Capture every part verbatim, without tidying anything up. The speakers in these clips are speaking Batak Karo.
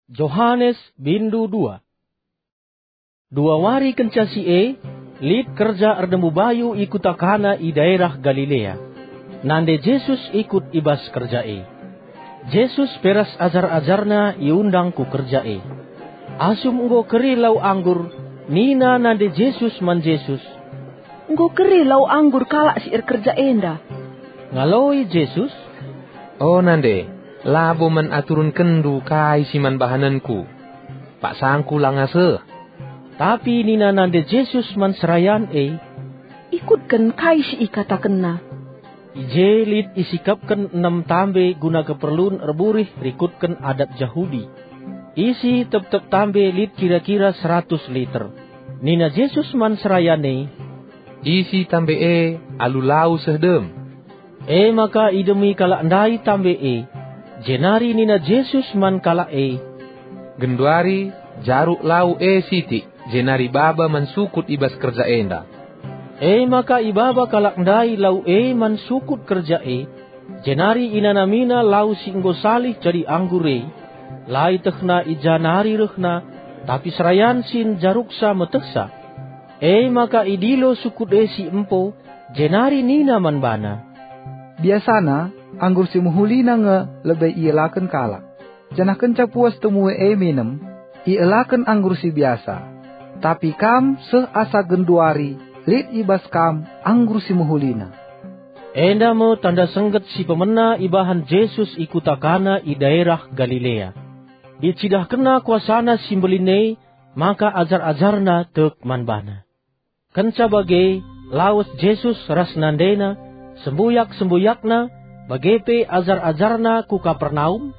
Johanes bindu dua. Dua wari kenca si e, lit kerja erdemu bayu i kuta Kana i daerah Galilea. Nande Jesus ikut i bas kerja e. Jesus pe ras ajar-ajarNa iundang ku kerja e. Asum enggo keri lau anggur, nina nande Jesus man Jesus, "Enggo keri lau anggur kalak si erkerja enda." Ngaloi Jesus, "O nande, labo man aturenkenndu kai si man bahanenKu. PaksangKu langa seh." Tapi nina nande Jesus man serayan e, "Ikutken kai si ikatakenna." I je lit isikapken enem tambe guna keperlun erburih rikutken adat Jahudi. Isi tep-tep tambe lit kira-kira seratus liter. Nina Jesus man serayan e, "Isi tambe e alu lau seh dem." E maka idemi kalak ndai tambe e, jenari nina Jesus man kalak e, "Genduari jaruk lau e sitik, jenari baba man sukut i bas kerja enda." E maka ibaba kalak ndai lau e man sukut kerja e, jenari inanamina lau si enggo salih jadi anggur e. La ietehna i ja nari rehna, tapi serayan si njaruksa metehsa. E maka idilo sukut e si empo, jenari nina man bana, "Biasana, anggur si mehulina nge lebe ielaken kalak, janah kenca puas temue e minem, ielaken anggur si biasa. Tapi kam seh asa genduari lit i bas kam anggur si mehulina." Enda me tanda sengget si pemena ibahan Jesus i kuta Kana i daerah Galilea. IcidahkenNa kuasaNa si mbelin e, maka ajar-ajarNa tek man baNa. Kenca bage, lawes Jesus ras nandeNa, sembuyak-sembuyakNa, bage pe ajar-ajarNa ku Kapernaum,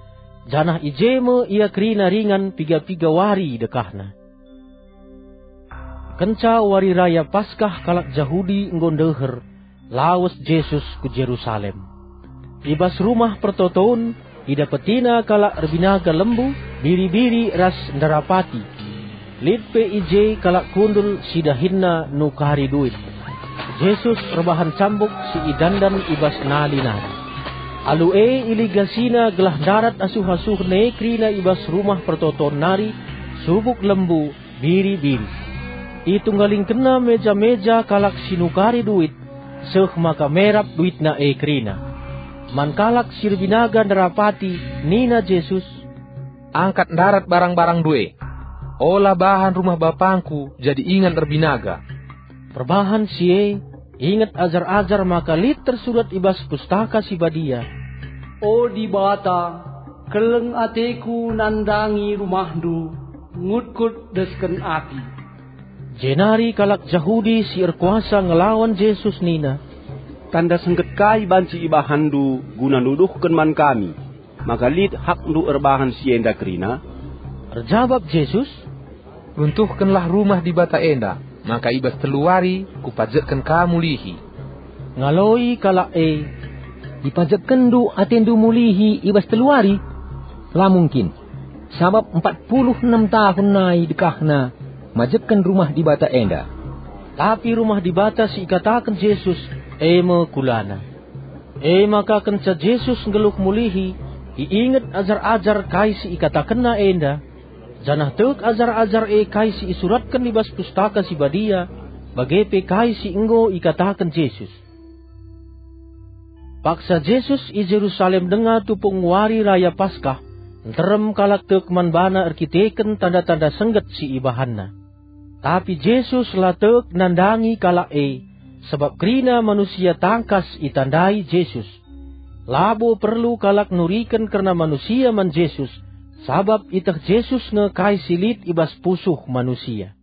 janah i je me Ia kerina ringan piga-piga wari dekahna. Kenca Wari Raya Paskah kalak Jahudi enggo ndeher, lawes Jesus ku Jerusalem. I bas Rumah Pertoton, idapetiNa kalak erbinaga lembu, biri-biri ras ndarapati. Lit pe i je kalak kundul si dahinna nukari duit. Jesus erbahan cambuk si idandan i bas nali nari. Alu e iligasiNa gelah ndarat asuh-asuhen e kerina i bas Rumah Pertoton nari, subuk lembu, biri-biri. ItunggalingkenNa meja-meja kalak si nukari duit, seh maka merap duitna e kerina. Man kalak si erbinaga ndarapati nina Jesus, "Angkat ndarat barang-barangndu e. Ola bahan rumah BapangKu jadi ingan erbinaga." Perbahan si e, inget ajar-ajar maka lit tersurat i bas Pustaka Si Badia, "O Dibata, keleng ateKu nandangi rumahNdu, ngutkut desken api." Jenari kalak Jahudi si erkuasa ngelawan Jesus nina, "Tanda sengget kai banci ibahanNdu guna nuduhken man kami maka lit hakNdu erbahan si enda kerina?" Erjabap Jesus, "Runtuhkenlah Rumah Dibata enda, maka i bas telu wari Kupajekken ka mulihi." Ngaloi kalak e, "IpajekkenNdu ateNdu mulihi i bas telu wari? La mungkin! Sabap empat puluh enem tahun nai dekahna majekken Rumah Dibata enda." Tapi Rumah Dibata si ikataken Jesus, e me kulana. E maka kenca Jesus nggeluh mulihi, iinget ajar-ajar kai si ikatakenNa enda, janah tek ajar-ajar e kai si isuratken i bas Pustaka Si Badia, bage pe kai si enggo ikataken Jesus. Paksa Jesus i Jerusalem denga tupung Wari Raya Paskah, nterem kalak tek man baNa erkiteken tanda-tanda sengget si ibahanNa. Tapi Jesus la tek nandangi kalak e, sabap kerina manusia tangkas itandai Jesus. Labo perlu kalak nuriken kerna manusia man Jesus, sabap ieteh Jesus nge kai si lit i bas pusuh manusia.